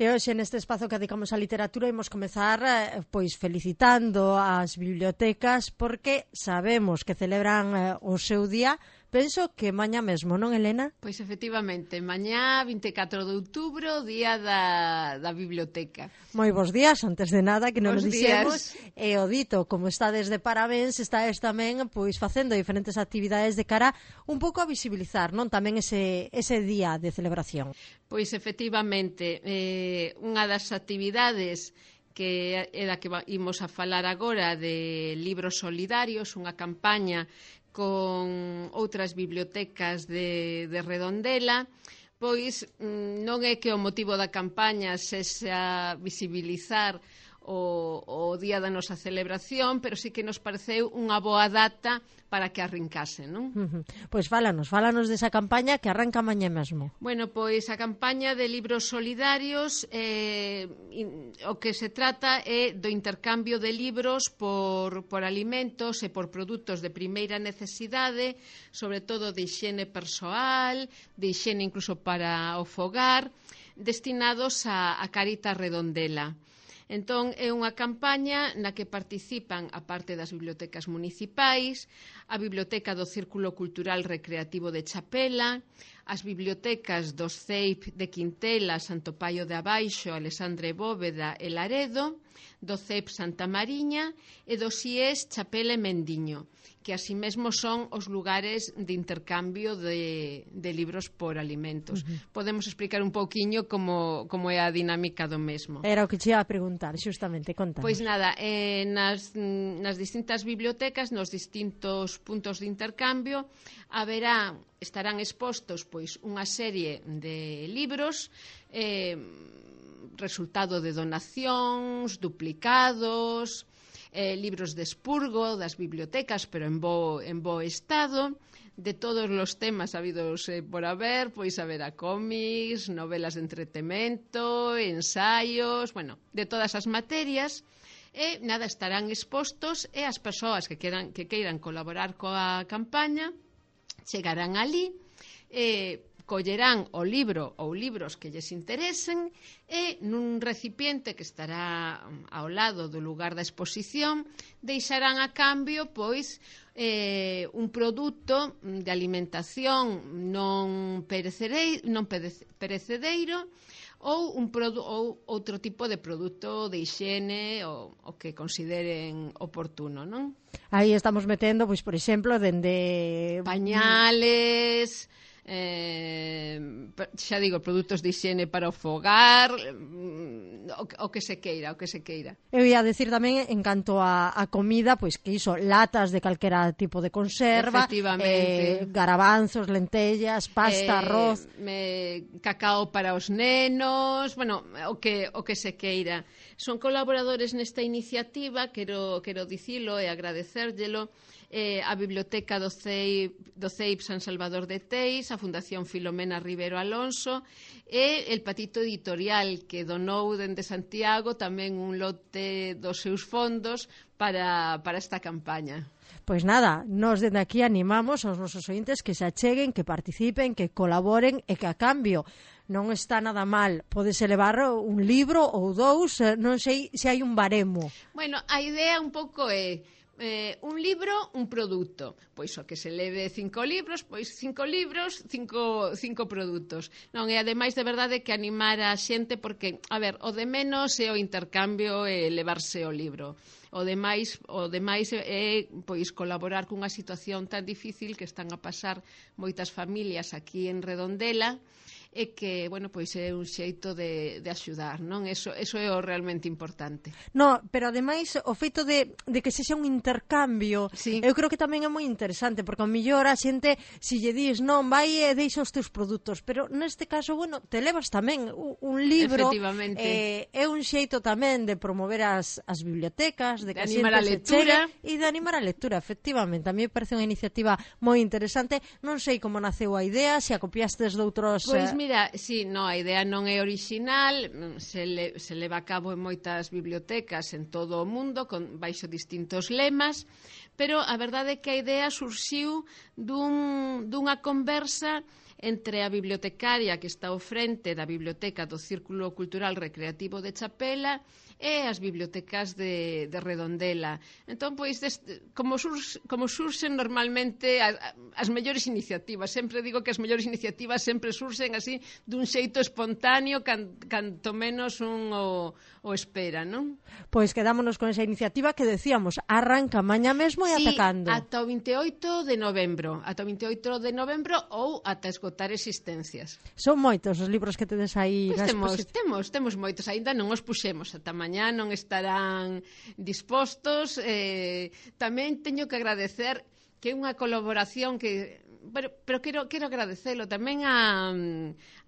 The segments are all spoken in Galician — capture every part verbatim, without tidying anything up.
E hoxe neste espazo que dedicamos á literatura imos comezar eh, pois felicitando as bibliotecas porque sabemos que celebran eh, o seu día. Penso que mañá mesmo, non, Elena? Pois efectivamente, mañá vinte e catro de outubro, día da, da biblioteca. Moi bons días, antes de nada, que non o Bos dixemos. días. E o dito, como estades de parabéns, estáis tamén pois facendo diferentes actividades de cara un pouco a visibilizar, non, tamén ese, ese día de celebración. Pois efectivamente, eh, unha das actividades que é da que imos a falar agora de libros solidarios, unha campaña con outras bibliotecas de, de Redondela, pois non é que o motivo da campaña sexa visibilizar o, o día da nosa celebración, pero sí que nos pareceu unha boa data para que arrincase, non? Uh -huh. Pois fálanos, fálanos desa campaña que arranca mañá mesmo. Bueno, pois a campaña de libros solidarios eh, in, o que se trata é do intercambio de libros por, por alimentos e por produtos de primeira necesidade, sobre todo de higiene persoal, de higiene incluso para o fogar, destinados a, a Caritas Redondela. Entón, é unha campaña na que participan, a parte das bibliotecas municipais, a Biblioteca do Círculo Cultural Recreativo de Chapela, as bibliotecas dos C E I P de Quintela, Santo Paio de Abaixo, Alexandre Bóveda e Laredo, do C E I P Santa Mariña e do C I E S Chapela e Mendiño, que así mesmo son os lugares de intercambio de, de libros por alimentos. Uh -huh. Podemos explicar un pouquiño como, como é a dinámica do mesmo. Era o que che ia a preguntar, xustamente, contanos. Pois nada, eh, nas, nas distintas bibliotecas, nos distintos puntos de intercambio, haberá, estarán expostos pois unha serie de libros, eh, resultado de donacións, duplicados, eh, libros de expurgo das bibliotecas, pero en bo, en bo estado, de todos os temas habidos eh, por haber, pois haberá cómics, novelas de entretemento, ensaios, bueno, de todas as materias, e nada, estarán expostos e as persoas que queiran, que queiran colaborar coa campaña chegarán ali, e collerán o libro ou libros que lles interesen e nun recipiente que estará ao lado do lugar da exposición deixarán a cambio pois eh, un produto de alimentación non perecedeiro, non perecedeiro ou, un ou outro tipo de produto de higiene o, o que consideren oportuno, non? Aí estamos metendo, pois, por exemplo, dende pañales, eh, xa digo, produtos de higiene para o fogar, o, o que se queira, o que se queira. Eu ia decir tamén, en canto a, a comida, pois que iso, latas de calquera tipo de conserva, eh, garabanzos, lentellas, pasta, eh, arroz, me, cacao para os nenos, bueno, o que, o que se queira. Son colaboradores nesta iniciativa, quero, quero dicilo e agradecérllelo, eh, a Biblioteca do C E I P, do C E I P San Salvador de Teis, a Fundación Filomena Rivero Alonso e el Patito Editorial, que donou dende Santiago tamén un lote dos seus fondos para, para esta campaña. Pois nada, nos dende aquí animamos aos nosos ointes que se acheguen, que participen, que colaboren e que a cambio non está nada mal. Podes elevar un libro ou dous, non sei se hai un baremo. Bueno, a idea un pouco é Eh, un libro, un produto. Pois o que se leve cinco libros, pois cinco libros, cinco, cinco produtos. Non, e ademais de verdade que animar a xente porque, a ver, o de menos é o intercambio e levarse o libro. O demais, o demais é pois colaborar cunha situación tan difícil que están a pasar moitas familias aquí en Redondela e que, bueno, pois é un xeito de, de axudar, non? Eso, eso é o realmente importante. No, pero ademais o feito de, de que sexa un intercambio, sí. Eu creo que tamén é moi interesante, porque ao millor a xente, se lle dis, non, vai e deixa os teus produtos, pero neste caso, bueno, te levas tamén un, un libro, eh, é un xeito tamén de promover as, as bibliotecas, de, de que animar a lectura e de animar a lectura, efectivamente. A mí me parece unha iniciativa moi interesante. Non sei como naceu a idea, se a copiastes de outros... Pois eh... mira, sí, no, a idea non é orixinal, se, le, se leva a cabo en moitas bibliotecas en todo o mundo, con baixo distintos lemas, pero a verdade é que a idea surxiu dun, dunha conversa entre a bibliotecaria que está ao frente da biblioteca do Círculo Cultural Recreativo de Chapela e as bibliotecas de, de Redondela. Entón, pois, deste, como, surx, como surxen normalmente as, as mellores iniciativas, sempre digo que as mellores iniciativas sempre surxen así dun xeito espontáneo can, canto menos un o, o espera, non? Pois quedámonos con esa iniciativa que decíamos, arranca mañá mesmo e sí, ata cando? Ata o vinte e oito de novembro, ata o vinte e oito de novembro ou ata esgotar existencias. Son moitos os libros que tedes aí. Pois temos, temos, temos moitos, aínda non os puxemos, ata mañá non estarán dispostos. Eh, tamén teño que agradecer que é unha colaboración que pero, pero quero, quero agradecelo tamén a,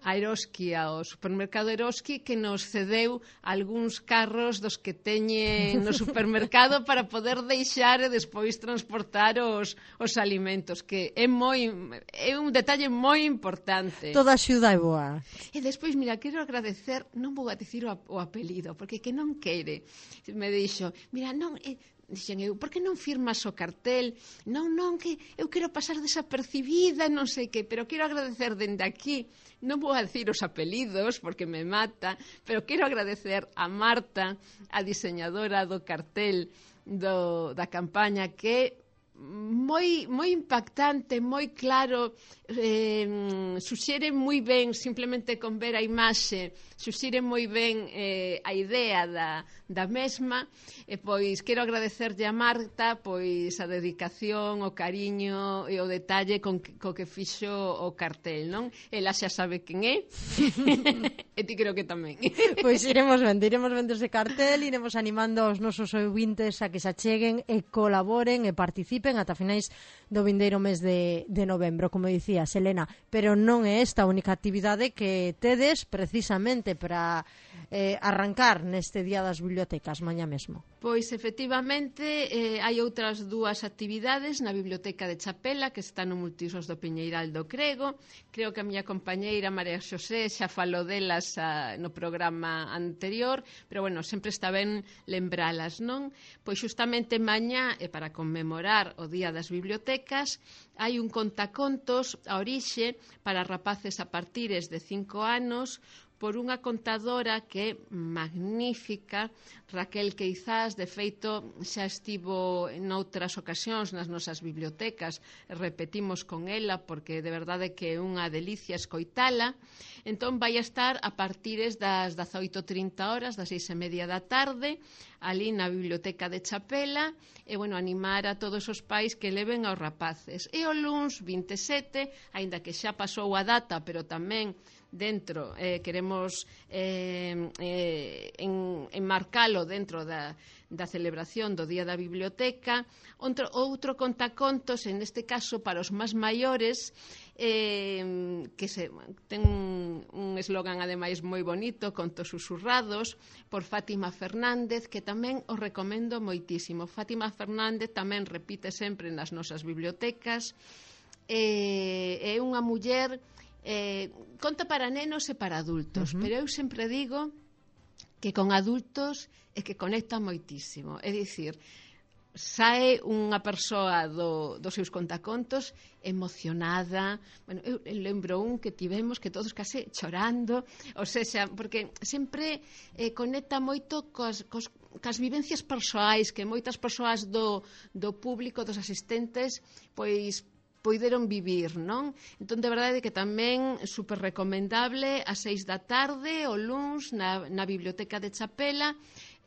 a Eroski, ao supermercado Eroski, que nos cedeu algúns carros dos que teñen no supermercado para poder deixar e despois transportar os, os alimentos, que é moi é un detalle moi importante. Toda a axuda é boa. E despois, mira, quero agradecer, non vou a dicir o, o apelido, porque que non quere. Me dixo, mira, non... Eh, dixen eu, por que non firmas o cartel? Non, non, que eu quero pasar desapercibida, non sei que, pero quero agradecer dende aquí, non vou a dicir os apelidos porque me mata, pero quero agradecer a Marta, a diseñadora do cartel do, da campaña, que moi moi impactante, moi claro, eh, suxere moi ben, simplemente con ver a imaxe, suxere moi ben eh, a idea da, da mesma, e pois quero agradecerlle a Marta pois a dedicación, o cariño e o detalle con que, co que fixo o cartel, non? Ela xa sabe quen é, e ti creo que tamén. Pois iremos vendo, iremos vendo ese cartel, iremos animando aos nosos ouvintes a que se acheguen e colaboren e participen ata finais do vindeiro mes de, de novembro, como dicía Selena, pero non é esta a única actividade que tedes precisamente para eh, arrancar neste Día das Bibliotecas mañá mesmo. Pois efectivamente eh, hai outras dúas actividades na Biblioteca de Chapela que están no Multiusos do Piñeiral do Crego. Creo que a miña compañeira María Xosé xa falou delas a, no programa anterior, pero bueno, sempre está ben lembralas, non? Pois xustamente mañá, e para conmemorar o Día das Bibliotecas, hai un contacontos a orixe para rapaces a partires de cinco anos por unha contadora que é magnífica, Raquel Queizás. De feito, xa estivo en outras ocasións nas nosas bibliotecas, repetimos con ela porque de verdade que é unha delicia escoitala. Entón vai a estar a partires das dezaoito e trinta horas, das seis e media da tarde, ali na Biblioteca de Chapela, e, bueno, animar a todos os pais que leven aos rapaces. E o luns vinte e sete, aínda que xa pasou a data, pero tamén dentro, eh, queremos eh, eh, en, enmarcalo dentro da, da celebración do Día da Biblioteca. Outro, outro contacontos, en este caso para os máis maiores, eh, que se, ten un, un eslogan ademais moi bonito, Contos susurrados, por Fátima Fernández, que tamén os recomendo moitísimo. Fátima Fernández tamén repite sempre nas nosas bibliotecas, eh, é unha muller Eh, conta para nenos e para adultos, uh-huh. pero eu sempre digo que con adultos é que conecta moitísimo. É dicir, sae unha persoa do, dos seus contacontos emocionada. Bueno, eu lembro un que tivemos que todos case chorando, ou seja, porque sempre eh, conecta moito cos, cos, cas vivencias persoais que moitas persoas do, do público, dos asistentes, pois poideron vivir, non? Entón, de verdade que tamén super recomendable ás seis da tarde, o luns, na, na Biblioteca de Chapela.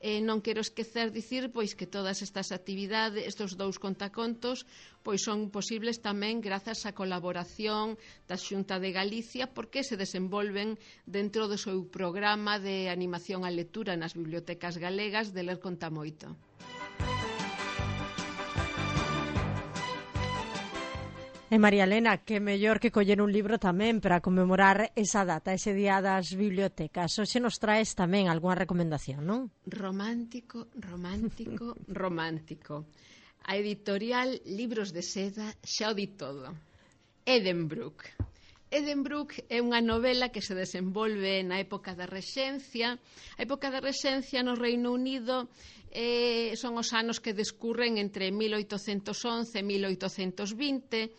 Eh, non quero esquecer dicir pois que todas estas actividades, estes dous contacontos, pois son posibles tamén grazas á colaboración da Xunta de Galicia, porque se desenvolven dentro do seu programa de animación á lectura nas bibliotecas galegas de Ler Conta Moito. E María Elena, que mellor que coller un libro tamén para conmemorar esa data, ese Día das Bibliotecas. Hoxe nos traes tamén algunha recomendación, non? Romántico, romántico, romántico. A editorial Libros de Seda xa o di todo. Edenbrook. Edenbrook é unha novela que se desenvolve na época da Rexencia. A época da Rexencia no Reino Unido eh, son os anos que descurren entre mil oitocentos once e mil oitocentos vinte,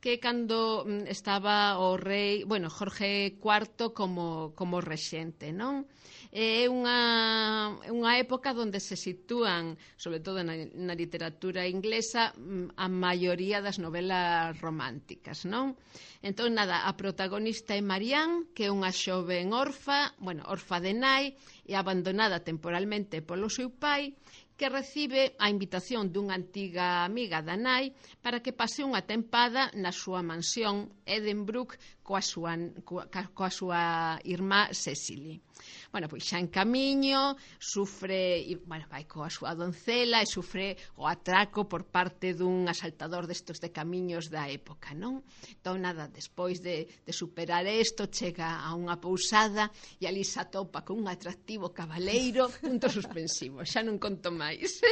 que cando estaba o rei, bueno, Jorge cuarto como, como rexente, non? É unha, unha época onde se sitúan, sobre todo na, na literatura inglesa, a maioría das novelas románticas, non? Entón, nada, a protagonista é Marianne, que é unha xoven orfa, bueno, orfa de nai, e abandonada temporalmente polo seu pai, que recibe a invitación dunha antiga amiga da nai para que pase unha tempada na súa mansión Edenbrook coa súa, coa, coa súa irmá Cecily. Bueno, pois xa en camiño, sufre, e, bueno, vai coa súa doncela e sufre o atraco por parte dun asaltador destos de camiños da época, non? Entón, nada, despois de, de superar isto, chega a unha pousada e ali se atopa con un atractivo cabaleiro, punto suspensivo, xa non conto máis.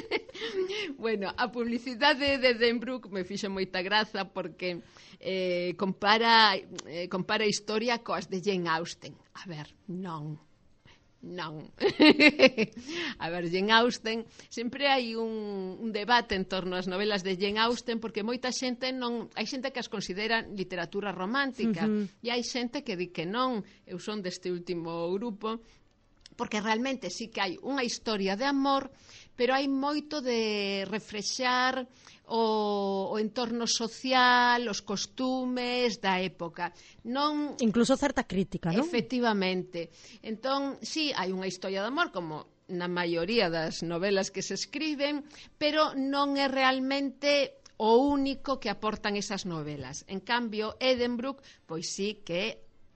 Bueno, a publicidade de Edenbrook me fixo moita graza porque eh, compara, eh, compara a historia coas de Jane Austen. A ver, non. Non. A ver, Jane Austen, sempre hai un, un debate en torno ás novelas de Jane Austen porque moita xente non, hai xente que as considera literatura romántica, uh-huh. E hai xente que di que non. Eu son deste último grupo, porque realmente sí que hai unha historia de amor, pero hai moito de refrexar o, o entorno social, os costumes da época. Non... Incluso certa crítica, non? Efectivamente. Entón, sí, hai unha historia de amor, como na maioría das novelas que se escriben, pero non é realmente o único que aportan esas novelas. En cambio, Edenbrook, pois sí que é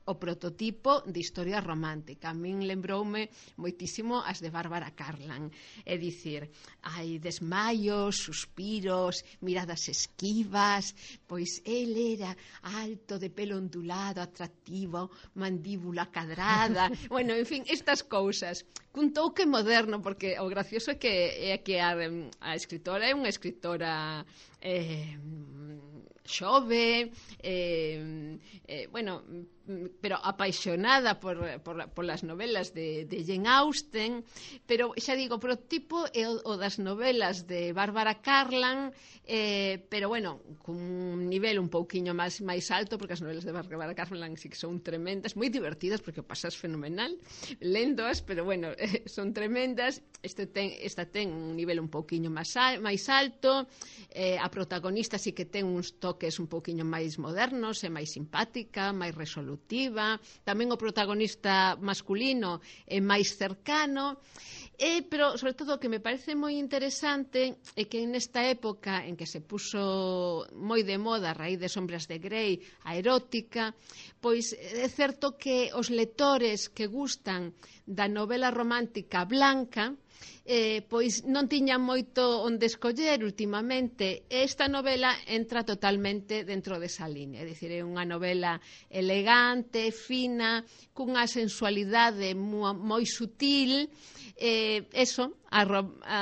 o prototipo de historia romántica. A min lembroume moitísimo as de Bárbara Cartland. É dicir, hai desmaios, suspiros, miradas esquivas, pois el era alto, de pelo ondulado, atractivo, mandíbula cadrada, bueno, en fin, estas cousas. Cun touque moderno, porque o gracioso é que, é que a, a escritora é unha escritora eh, xove, eh, eh, bueno, pero apaixonada por, por, por las novelas de, de Jane Austen, pero xa digo, pero tipo é o, o das novelas de Bárbara Cartland, eh, pero bueno, cun nivel un pouquiño máis máis alto, porque as novelas de Bárbara Cartland sí que son tremendas, moi divertidas, porque o pasas fenomenal lendoas, pero bueno, eh, son tremendas. Este ten, esta ten un nivel un pouquiño máis, al, máis alto, eh, a protagonista sí que ten uns toques un pouquiño máis modernos, é máis simpática, máis resolutiva. Tamén o protagonista masculino é máis cercano, eh, pero sobre todo o que me parece moi interesante é que nesta época en que se puso moi de moda a raíz de Sombras de Grey a erótica, pois é certo que os lectores que gustan da novela romántica blanca Eh, pois non tiñan moito onde escoller últimamente. Esta novela entra totalmente dentro desa línea, é dicir, é unha novela elegante, fina, cunha sensualidade moi, moi sutil, eh, eso, a, a,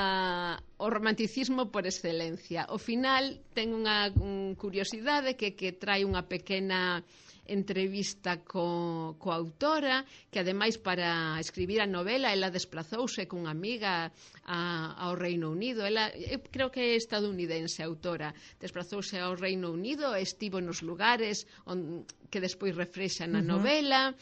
o romanticismo por excelencia. Ao final ten unha un curiosidade que, que trae unha pequena entrevista co, coa autora, que ademais para escribir a novela ela desplazouse cunha amiga a, ao Reino Unido. Ela, eu creo que é estadounidense a autora, desplazouse ao Reino Unido, estivo nos lugares on, que despois refrexan na uh-huh. novela.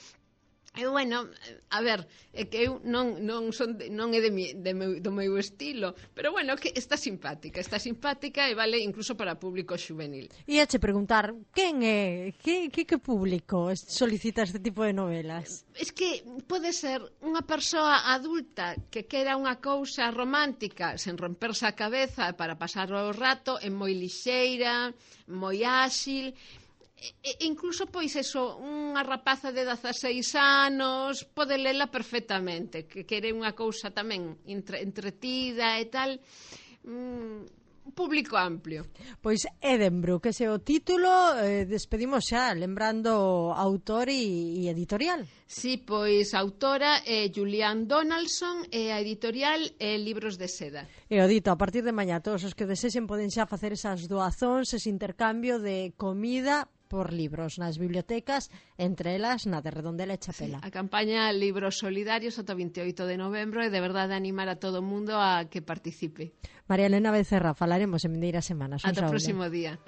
E, bueno, a ver, é que eu non, non, son de, non é de mi, de meu, do meu estilo, pero, bueno, que está simpática, está simpática e vale incluso para público xuvenil. E a che preguntar, quen é, que, que, que público solicita este tipo de novelas? Es que pode ser unha persoa adulta que quera unha cousa romántica sen romperse a cabeza para pasar o rato, é moi lixeira, moi áxil. E, incluso, pois, eso, unha rapaza de dezaseis anos pode lela perfectamente, que quere unha cousa tamén entre, entretida e tal, mm, un público amplio. Pois Edenbrook, ese é o título, eh, despedimos xa, lembrando autor e, e editorial. Sí, pois a autora é Julianne Donaldson e a editorial é Libros de Seda. E o dito, a partir de mañá, todos os que desexen poden xa facer esas doazóns, ese intercambio de comida por libros nas bibliotecas, entre elas na de Redondela e Chapela. Sí, a campaña Libros Solidarios ata veinte e oito de novembro e de verdade animar a todo o mundo a que participe. María Elena Becerra, falaremos en vindeiras semanas. Ata o próximo día.